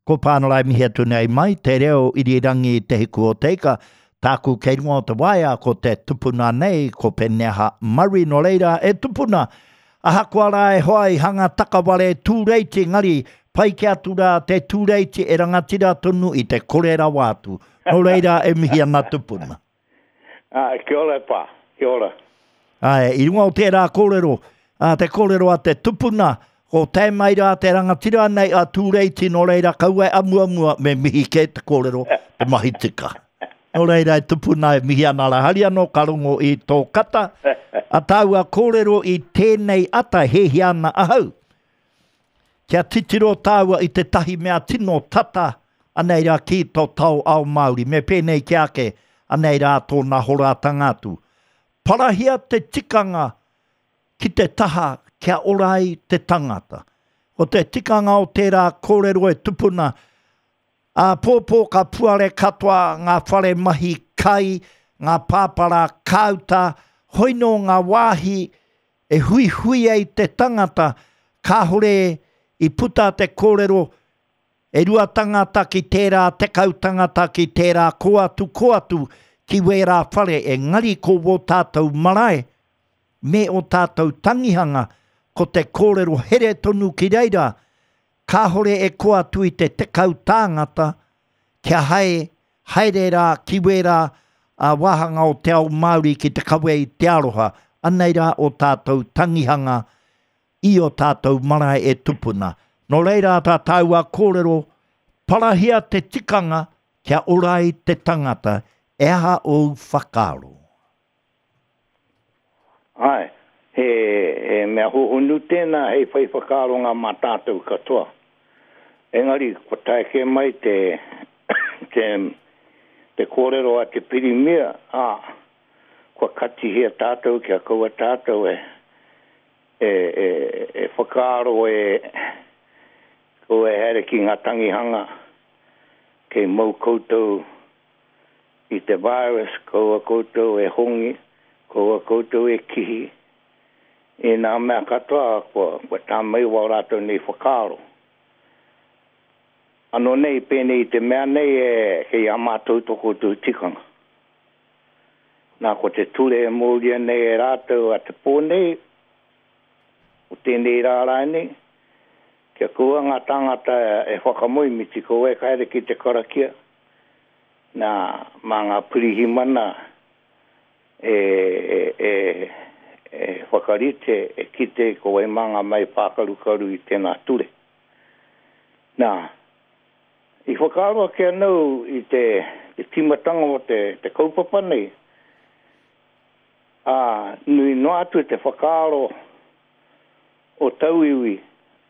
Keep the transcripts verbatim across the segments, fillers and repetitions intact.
Ko Pānara e mihi atu nei mai, te reo irirangi Te Hiku o Te Ika, tāku kei runga o te waea ko te tupuna nei, ko Peneha Murray, nō reira e tupuna, ahakoa rā e hoa i hanga takaware tūreiti, engari pai ki atu rā te tūreiti e rangatira tonu i te kore rawa atu. Nō reira e mihi ana tupuna. Ah, kia ora e pā, kia ora. Ae, i runga o tērā kōrero, a, te kōrero a te tupuna, ko tae mai rā te rangatira nei a Tūreiti, nō reira kaua e amuamua me mihi kē te kōrero, te mahi tika. Nō reira e tupuna e mihi ana rā, hari anō ka rongo i tō kata, a tāua kōrero i tēnei ata e hēhia ana ahau. Kia titiro tāua i tētahi mea tino tata, anei rā ki tō tao ao Māori, me pēnei ki ake, anei rā tōna horatanga atu. Parahia te tikanga ki te taha kia ora ai te tangata. Ko te tikanga o tērā kōrero e tupuna, āpōpō ka puare katoa ngā whare mahi kai, ngā pāpara kāuta, hoi nō ngā wāhi e huihui ai te tangata, kāhore i puta te kōrero e rua tangata ki tērā, tekau tangata ki tērā, kō atu, kō atu ki wērā whare, engari ko wō tātou marae me ō tātou tangihanga, ko te kōrero here tonu ki reira, kāhore e kō atu i te tekau tāngata kia hae, haere rā ki wērā a wāhanga o te ao Māori ki te kawe i te aroha, anei rā o tātou tangihanga i o tātou marae e tupuna. Nō reira tā tāua kōrero, parahia te tikanga kia ora ai te tangata, e aha ōu whakaaro? Āe, he, he mea hōhonu tēnā hei whai whakaaronga mā tātou katoa. Engari, kua tae kē mai te, te, te kōrero a te Pirimia, ā, kua katihia tātou kia kaua tātou e, e, e, e whakaaro e, kaua e haere ki ngā tangihanga, kei mau koutou i te virus, kaua koutou e hongi, kaua koutou e kihi, i nā mea katoa kua, kua tā mai wā rātou nei whakaaro. Anō nei, pēnei i te mea nei e kei a mātou tō koutou tikanga. Nā, ko te ture e mōria nei e rātou a te pō nei, o tēnei rā rānei, kia kaua ngā tāngata e whakamoemiti, kaua e haere ki te karakia, nā, mā ngā pirihimana e, e, e, e whakarite, e kite ko wai mā ngā mai pākarukaru i tēnā ture. Nā, i whakaaro ake anō i te, te tīmatanga o te, te kaupapa nei, ā, nui noa atu te whakaaro o tauiwi,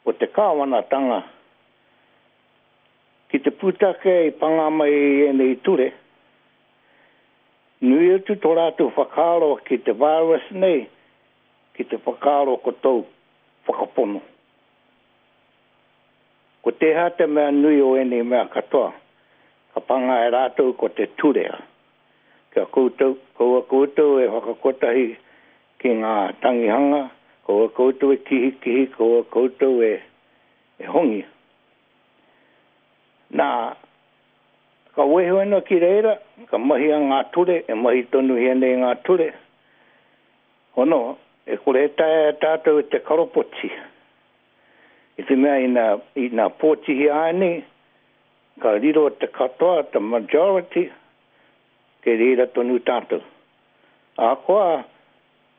o te kāwanatanga, ki te pūtake i panga mai i ēnei ture, nui atu tō rātou whakaaro ki te virus nei, ki te whakaaro ko tōu whakapono. Ko tēhea te mea nui o ēnei mea katoa, ka panga e rātou ko te turea. Kia koutou, kaua koutou e whakakotahi ki ngā tangihanga, kaua koutou e kihikihi, kaua koutou e, e hongi. Nā, ka wehe ana ki reira, ka mahia ngā ture, e mahi tonuhia nei ngā ture. Hono, e kore e taea e tātou te karopoti. I te mea ina, ina pōtihia ai nei, ka riro te katoa, te majority, kei reira tonu tātou. Ahakoa,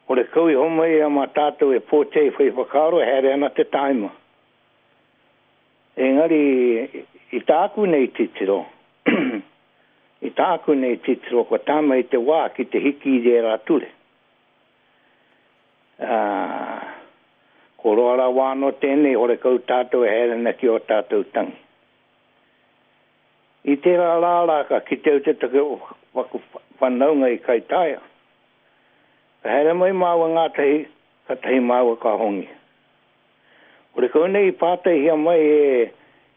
horekau i homai a mā tātou e pōti ai whai whakaaro, e haere ana te tāima. Engari, i tāku nei titiro, i tāku nei titiro, kua tae mai te wā ki te hiki i ērā ture. Ā, ko roa rawa anō tēnei, horekau tātou e haere ana ki ō tātou tangi. I tērā rā rā ka kite au tētahi o waku whanaunga i Kaitaia. Ka haere mai māua ngātahi, kātahi māua ka hongi. Horekau nei i pātaihia mai e,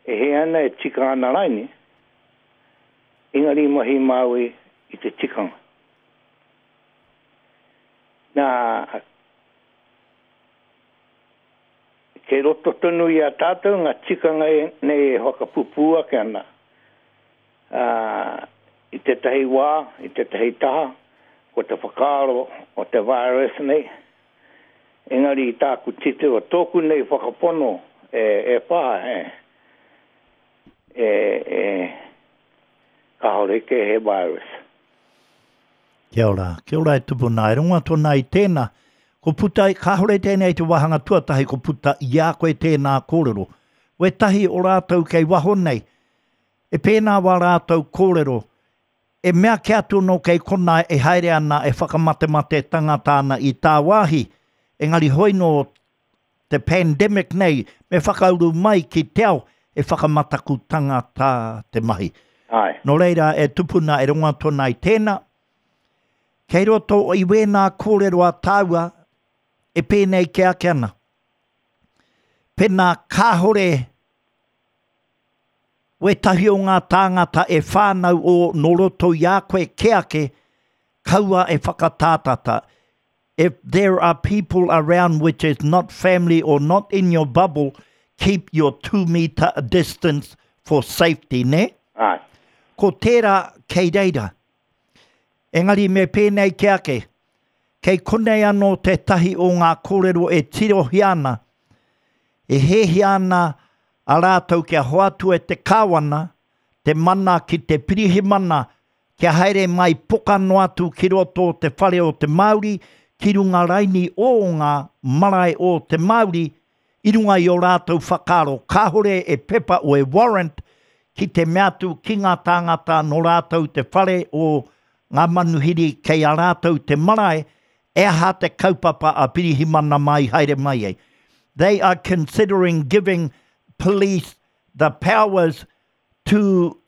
e hē ana, e tika ana raini, engari mahi māua i te tikanga. Nā, Kei roto tonu i a tātou ngā tikanga e, nei e whakapupū ake ana. Uh, i tētahi wā, i tētahi taha, ko te whakaaro o te virus nei. Engari i tāku titiro, tōku nei whakapono e, e pā, e, e, e, kāore ke he virus. Kia ora, kia ora e tupuna, e rongo atu ana i tēnā. Ko puta, kāore tēnei te wāhanga tuatahi, ko puta i a koe tēnā kōrero. Wētahi o rātou kei waho nei, e pēnā wā rātou kōrero, e mea ke atu no kei kona e haere ana e whakamatemate tangata ana i tāwāhi, engari hoi no te pandemic nei, me whakauru mai ki te ao e whakamataku tangata te mahi. Ai. Nō reira e tupuna e rongo atu ana i tēnā, kei roto i wēnā kōrero a tāua e pēnei ke ake ana. Pēnā kāhore wētahi o ngā tāngata e whānau o nō roto i a koe ke ake, kaua e whakatātata. If there are people around which is not family or not in your bubble, keep your two meter distance for safety, ne? Ai. Ko tērā kei reira. Engari me pēnei ke ake, kei konei anō tētahi o ngā kōrero e tirohia ana, e hēhia ana a rātou kia hoatu e te kāwana, te mana ki te pirihimana, kia haere mai poka noa atu ki roto o te whare o te Māori, ki runga raini o ngā marae o te Māori, i runga i o rātou whakaaro, kāhore e pepa o e warrant ki te mea atu ki ngā tāngata nō rātou te whare o ngā manuhiri kei a rātou te marae, e aha te kaupapa a pirihimana mai haere mai ai. They are considering giving police the powers to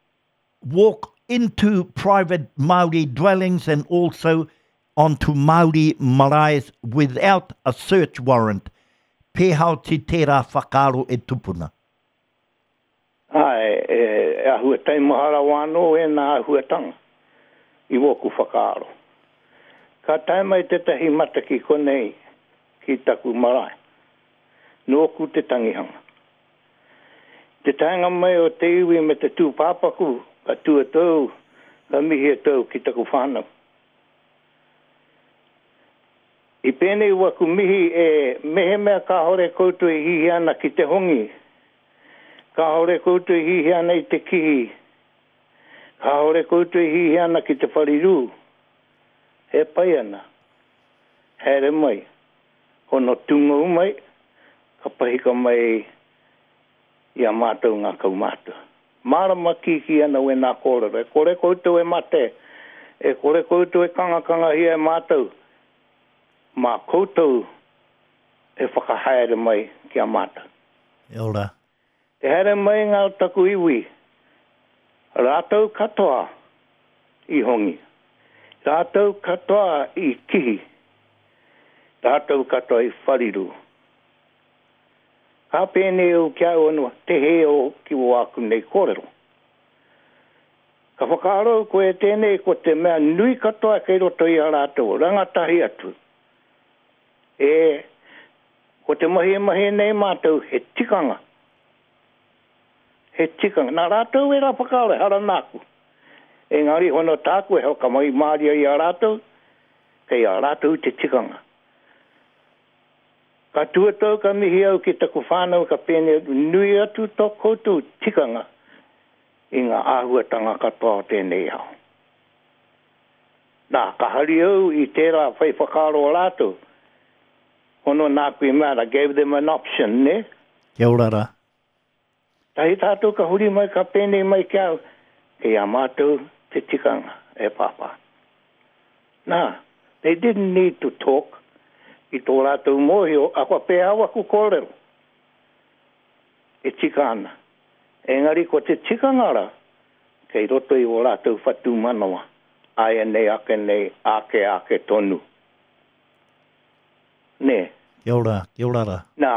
walk into private Māori dwellings and also onto Māori maraes without a search warrant. Pēhao ti tērā whakaaro e tupuna. Ai, e, e ahua taimahara wānō e nā ahuatanga i wōku whakaaro. Ka tae mai tētahi mata ki konei ki taku marae. Nōku te tangihanga. Te taenga mai o te iwi me te tūpāpaku, ka tua tau, ka mihi tau ki taku whānau. I pēnei waku mihi e mehemea kāhore koutou e hihi ana ki te hongi, kāhore koutou e hihi ana i te kihi, kāhore koutou e hihi ana ki te wharirū, e pai ana, haere mai, hono tungou mai, ka pahika mai i a mātou ngā kaumātua. Mārama kiki ana we nā kōrero, e kore koutou e mate, e kore koutou e kangakangahia e mātou, mā koutou e whakahaere mai ki a mātou. E ora. Te haere mai ngā taku iwi, rātou katoa i hongi, rātou katoa i kihi, rātou katoa i whariru. Ka pēnei au kia au anō, te he o ki o aku nei kōrero. Ka whakaaro koe tēnei ko te mea nui katoa kei roto i a rātou, rangatahi atu. E, ko te mahi e mahi nei mātou, he tikanga. He tikanga. Nā rātou e rā whakaaro, hara nāku. Engari hono tāku e whakamai māria i a rātou, kei a rātou te tikanga. Ka tuatau ka mihi au ki taku whānau ka pēnei atu, nui atu tō koutou tikanga i ngā āhuatanga katoa o tēnei ao. Nā, ka hari au i tērā whai whakaaro o rātou. Hono nāku i mea, I gave them an option, ne? Kia ora rā. Tahi tātou ka huri mai, ka pēnei mai ki au, kei a mātou te tikanga e pāpā. Nā, they didn't need to talk i tō rātou mōhio, a kua pēhā waku kōrero. E tika ana. Engari ko te tikanga rā, kei roto i o rātou whatu manawa. Aia nei, ake nei, ake, ake tonu. Nē. Kia ora, kia ora rā. Nā,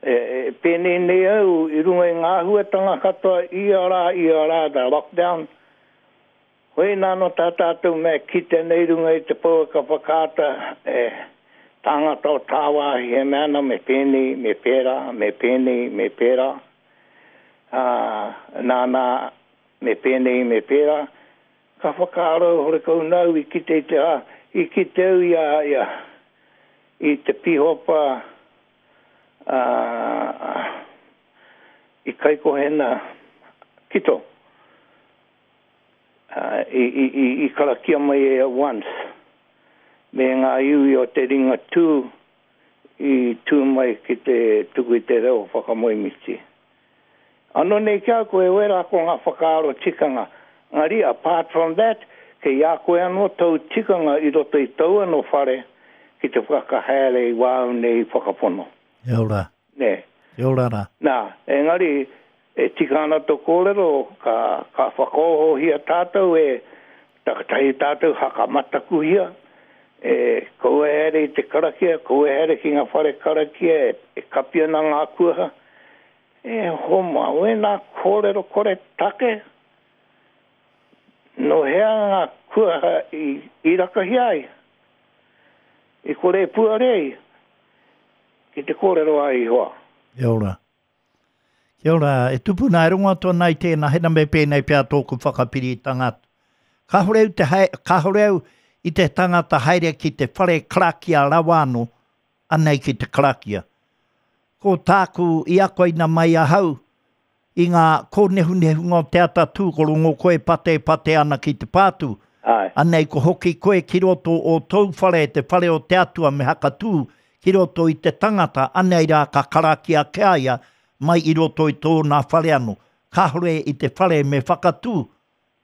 e, e, pēnei nei au i runga i ngā āhuatanga katoa ia rā, ia rā, the lockdown. Hoi nā no tā tātou mea kite nei runga i te pouaka whakaata, e, tāngata o tāwāhi e mea ana me pēnei, me pērā, me pēnei, me pērā, ā, nānā, me pēnei, me pērā, ka whakaaro horekau nau i kite i te, ā, i kite au i a, i a, i te pīhopa, ā, i Kaikohena Kito, ā, i, i, i, i karakia mai e a once, me ngā iwi o te Ringatū i tū mai ki te tuku i te reo whakamoemiti. Anō nei ki a koe, wera ko ngā whakaaro tikanga. Engari, apart from that, kei a koe anō tōu tikanga i roto i tōu anō whare ki te whakahaere i wāu nei whakapono. Kia ora. Nē. Kia ora rā. Nā, engari, e tika ana tō kōrero, ka, ka whakaohohia tātou e takatahi tātou hakamatakuhia, e kaua e haere i te karakia, kaua e haere ki ngā whare karakia e, e kapi ana ngā kuaha. E homa, wēnā kōrero kore take, nō hea ngā kuaha i, i rakahia ai, i kore e puare ai, ki te kōrero a Ihoa. Kia ora. Kia ora, e tupuna e rongo atu ana i tēnā, hena me pēnei pea tōku whakapiritanga atu. Kāore au te hae, kāore au i te tangata haere ki te whare karakia rawa anō, anei ki te karakia. Ko tāku i akoina mai ahau i ngā kōnehunehunga o te atatū, ko rongo koe patepate ana ki te pātū. Āe. Anei ko hoki koe ki roto o tōu whare, te whare o te Atua me hakatū ki roto i te tangata, anei rā ka karakia ki a ia mai i roto i tōna whare anō. Kāore i te whare me whakatū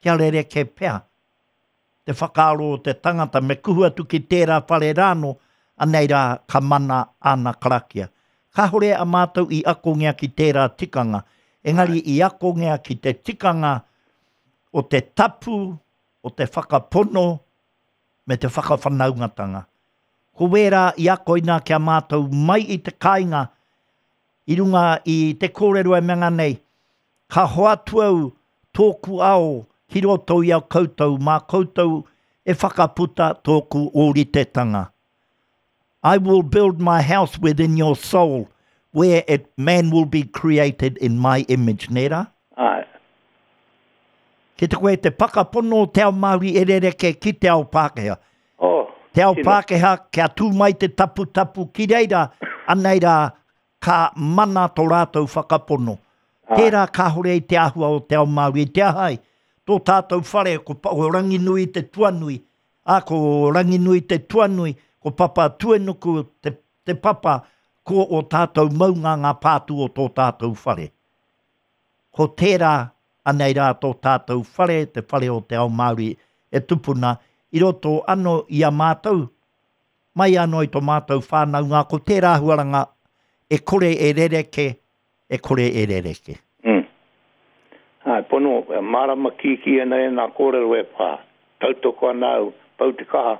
kia rerekē pea te whakaaro o te tangata me kuhu atu ki tērā whare rānō, anei rā ka mana āna karakia. Kāore a mātou i akongia ki tērā tikanga, engari i akongia ki te tikanga o te tapu, o te whakapono me te whakawhanaungatanga. Ko wērā i akoina ki a mātou mai i te kāinga i runga i te kōrero e mea nei, ka hoatu au tōku ao ki roto i a koutou, mā koutou e whakaputa tōku ōritetanga. I will build my house within your soul, where it, man will be created in my image, nē rā? Āe. Ki te koe te whakapono o te ao Māori e rerekē ki te ao Pākehā. Oh, Te ao tino. Pākehā, kia tū mai te taputapu ki reira, anei rā, ka mana tō rātou whakapono. Āe. Tērā kāore i te āhua o te ao Māori, i te aha ai, tō tātou whare, ko, ko Ranginui te tuanui, ā, ko Ranginui te tuanui, ko Papatūānuku te, te papa, ko ō tātou maunga ngā pātū o tō tātou whare. Ko tērā, anei rā tō tātou whare, te whare o te ao Māori e tupuna, i roto anō i a mātou, mai anō i tō mātou whānaunga, ko tērā āhuaranga e kore e rerekē, e kore e rerekē. Mm. Āe, pono, e mārama kīkī ana e nā kōrero e pā, tautoko ana au, pau te kaha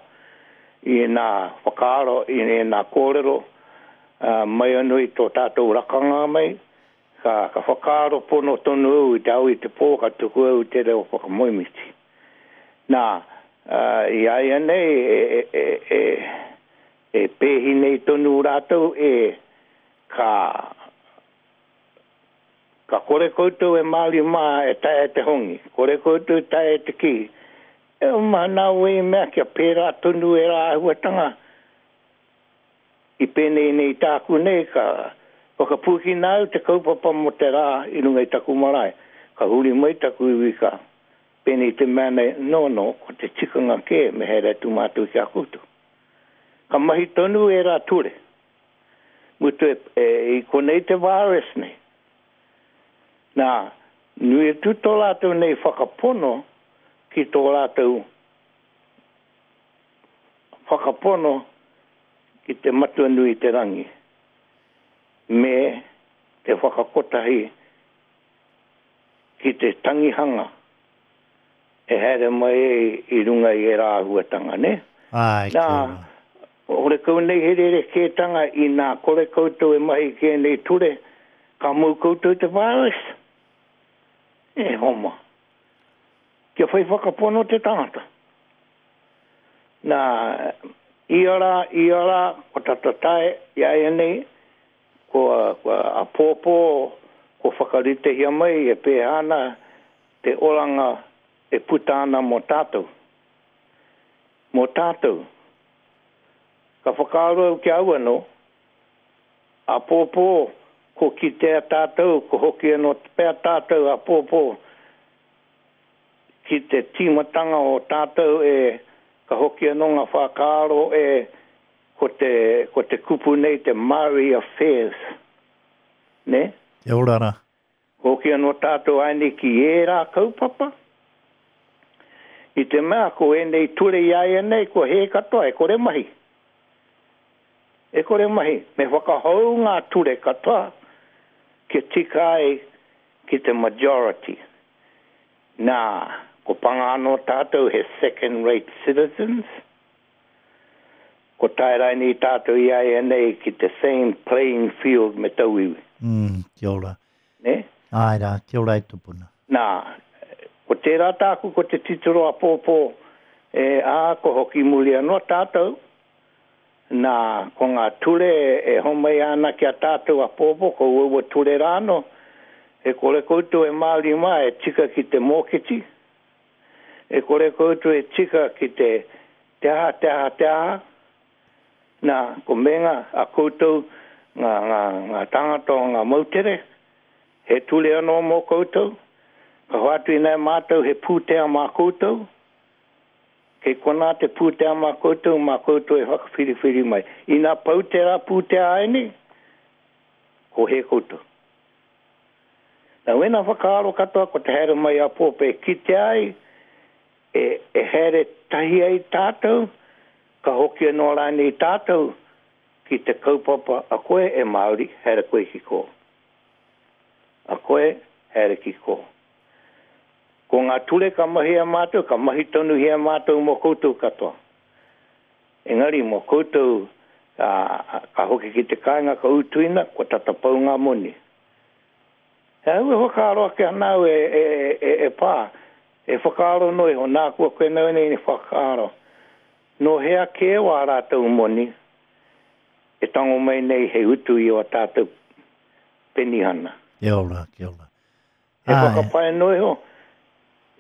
i nā whakaaro, i nā kōrero, uh, mai anō i tō tātou rakanga mai, ka, ka whakaaro pono tonu au i te ao i te pō, ka tuku au i te reo whakamoemiti. Nā, uh, i a ia nei, e, e, e, e, e pēhi nei tonu rātou e ka, ka kore koutou e Māori mā e taea te hongi, kore koutou e taea te kī. E uma nā wei mea kia pērā tonu e rā āhuatanga i pēnei nei tāku nei ka whakapūkina au te kaupapa mō te rā i runga i taku marae. Ka huri mai taku iwi ka pēnei te mea nei, no, no, ko te tikanga kē me haere atu mātou ki a koutou. Ka mahi tonu e rā ture. Mutu e, e, i konei te virus nei. Nā, nui atu tō rātou nei whakapono ki tō rātou whakapono ki te Matua nui te rangi me te whakakotahi ki te tangihanga e haere mai ai i runga i ērā āhuatanga, nē? Āe, Nā, kia ora. horekau nei he rerekētanga inā kore koutou e mahi ki ēnei ture, ka mau koutou i te virus? E homa. Kia whai whakapono te tangata. Nā, Ia rā, ia rā, ko tata tae i āianei, ko, ko apōpō, ko whakaritehia mai e pēhea ana te oranga e puta ana mō tātou. Mō tātou. Ka whakaaro au ki au anō, apōpō, ko kitea tātou, ko hoki anō pea tātou apōpō ki te tīmatanga o tātou e ka hoki anō ngā whakaaro e ko te, ko te kupu nei te Māori Affairs. Ne? Kia ora rā. Hoki anō tātou aini ki ērā kaupapa. I te mea ko ēnei ture i āianei, ko hē katoa, e kore mahi. E kore mahi. Me whakahou ngā ture katoa kia tika ai ki te majority. Nā, ko panga anō tātou he second rate citizens. Ko tae rainei tātou i āianei ki te same playing field me tauiwi. Mm, kia ora. Ne? Āe rā, kia ora e tupuna. Nā, ko tērā tāku ko te titiro apōpō, e, ā, ko hoki muri anō tātou. Nā, ko ngā ture e homai ana ki a tātou apōpō, ko uaua ture rānō, e kore koutou e Māori mā e tika ki te mōketi, e kore koutou e tika ki te te aha, te aha, te aha. Nā, ko menga a koutou ngā, ngā, ngā tāngata o ngā moutere, he ture anō mō koutou, ka hoatu inā mātou he pūtea mā koutou, kei konā te pūtea mā koutou, mā koutou e whakawhiriwhiri mai. Ina pau tērā pūtea aini, ko he koutou. Nā, wena whakaaro katoa ko te haere mai apōpō e kite ai, e, e haere tahi ai tātou, ka hoki anō rānei tātou ki te kaupapa a koe e Māori, haere koe ki kō. A koe, haere ki kō. Ko ngā ture ka mahi a mātou, ka mahi tonuhia mātou mō koutou katoa. Engari mō koutou, ka, ka hoki ki te kāinga ka utuina, kua tata pau ngā moni. He au e whakaaro ake ana au e, e, e, e pā, e whakaaro noa iho, nā kua koe nau nei whakaaro. Nō hea kē wā rātou moni, e tango mai nei he utu i o tātou penihana. Kia ora, kia ora. He whakapae noa iho,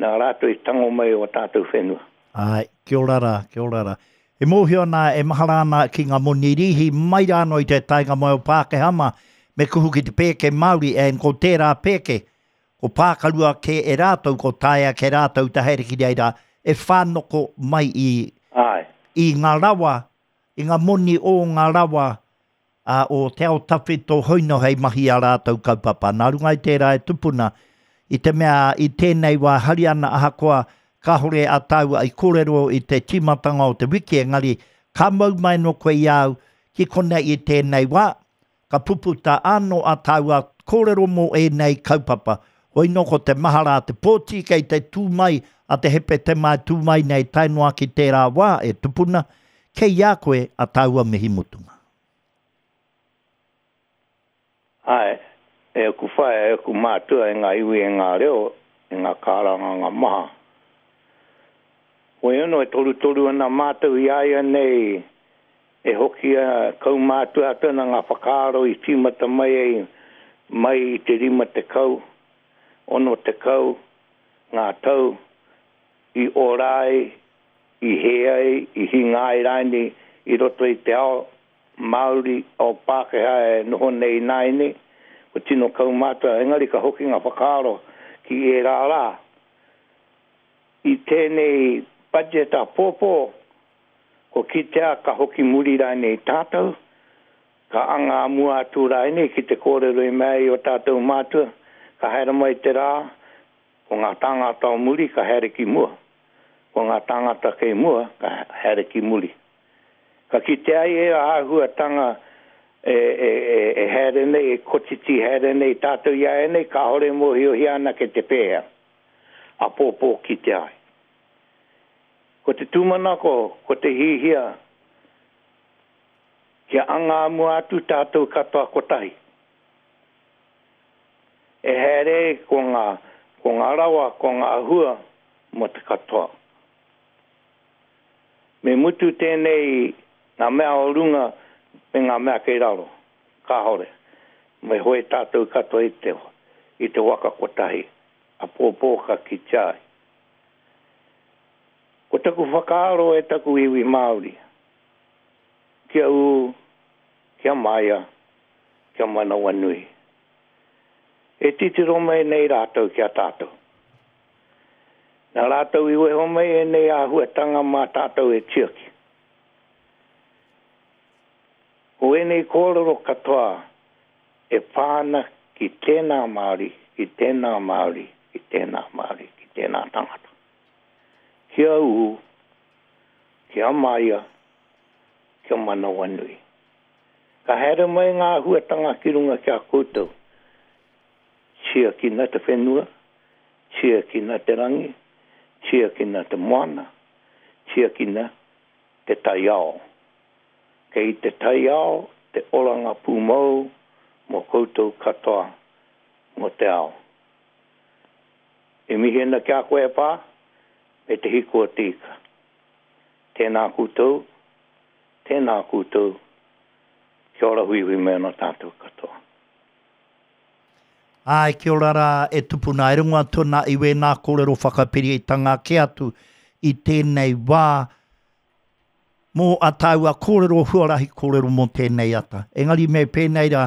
nā rātou i tango mai o tātou whenua. Ai, kia ora rā, kia ora rā. E mōhio ana, e mahara ana ki ngā moni rīhi mai rānō i te taenga mai o Pākehā mā, me kuhu ki te pēke Māori, and ko tērā pēke, ko pākarua kē e rātou, ko taea ke rātou te haere ki reira, e whānoko mai i, Ai. i ngā rawa, i ngā moni o ngā rawa uh, o te ao tawhito hoino hei mahi a rātou kaupapa. Nā runga i tērā e tupuna, i te mea i tēnei wā hari ana ahakoa kāhore a tāua i kōrero i te tīmatanga o te wiki, engari ka mau mai no koe i au ki konei i tēnei wā, ka puputa anō a tāua kōrero mō ēnei kaupapa. Hoi no ko te mahara te pōti kei te tū mai a te hepe te mai tū mai nei tae noa ki tērā wā e tupuna, kei a koe a tāua mihi mutunga. Ai, e aku whaea, e aku mātua e ngā iwi e ngā reo, e ngā kāranga ngā maha. Hoi anō e torutoru ana mātou i aia nei e hoki a kaumātua atu ana ngā whakaaro i tīmata mai ai mai i te rima tekau, ono tekau, ngā tau i ora ai, i hē ai, i hinga ai rānei i roto i te ao Māori, ao Pākehā e noho nei nāianei, ko tino kaumātua, engari ka hoki ngā whakaaro ki ērā rā. I tēnei budget apōpō, ko kitea ka hoki muri rānei tātou, ka anga mua atu rānei ki te kōrero i mea i o tātou mātua, ka haere mai te rā, ko ngā tāngata o muri ka haere ki mua, ko ngā tāngata kei mua ka haere ki muri. Ka kitea ai e āhuatanga e, e, e, e haere nei, e kotiti haere nei tātou i a nei, kāhore mōhiohia ana ke te pēhea, apōpō kitea ai. Ko te tūmanako, ko te hihia, kia anga mua atu tātou katoa kotahi. E haere ko ngā, ko ngā rawa, ko ngā hua mō te katoa. Me mutu tēnei Ngā mea o runga me ngā mea kei raro. Kāhore. Me hoe tātou katoa i te, i te waka kotahi. Āpōpō ka kitea ai. Ko taku whakaaro e taku iwi Māori. Kia ū, kia māia, kia manawanui. E titiro mai nei rātou ki a tātou. Nā rātou i weho mai ēnei āhuatanga mā tātou e tiaki. Ko ēnei kōrero katoa e pā ana ki tēnā Māori, ki tēnā Māori, ki tēnā Māori, ki tēnā tangata. Kia ū, kia māia, kia manawanui. Ka haere mai ngā āhuatanga ki runga ki a koutou. Tiakina te whenua, tiakina te rangi, tiakina te moana, tiakina te taiao. Kei te taiao te oranga pūmau mō koutou katoa mō te ao. E mihi ana ki a koe e Pā, me te hiku o te ika. Tēnā koutou, tēnā koutou, kia ora huihui mai ana tātou katoa. Āe, kia ora rā e tupuna, e rongo atu ana i wēnā kōrero whakapiritanga kē atu i tēnei wā mō a tāua kōrero huarahi kōrero mō tēnei ata. Engari me pēnei rā,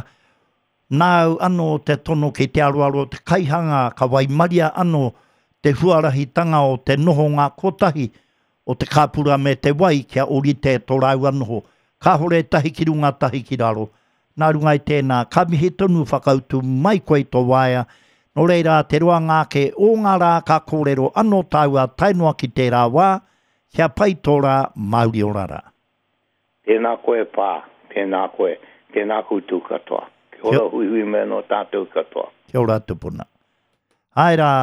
nāu anō te tono ki te aroaro o te kaihanga ka waimaria anō te huarahitanga o te nohonga kotahi o te kāpura me te wai kia ōrite tō rāua noho. Kāhore tahi ki runga, tahi ki raro. Nā runga i tēnā, ka mihi tonu whakautu mai koe i tō waea, nō reira te roanga ake o ngā rā ka kōrero anō tāua tae noa ki tērā wā, kia pai tō rā, mauri ora rā. Tēnā koe Pā, tēnā koe, tēnā koutou katoa. Kia ora huihui mai anō tātou katoa. Kia ora tupuna. Āe rā,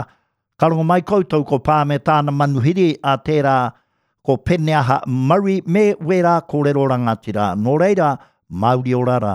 ka rongo mai koutou ko Pā me tāna manuhiri a tērā ko Peneaha Murray me wērā kōrero rangatira. Nō reira, mauri ora rā.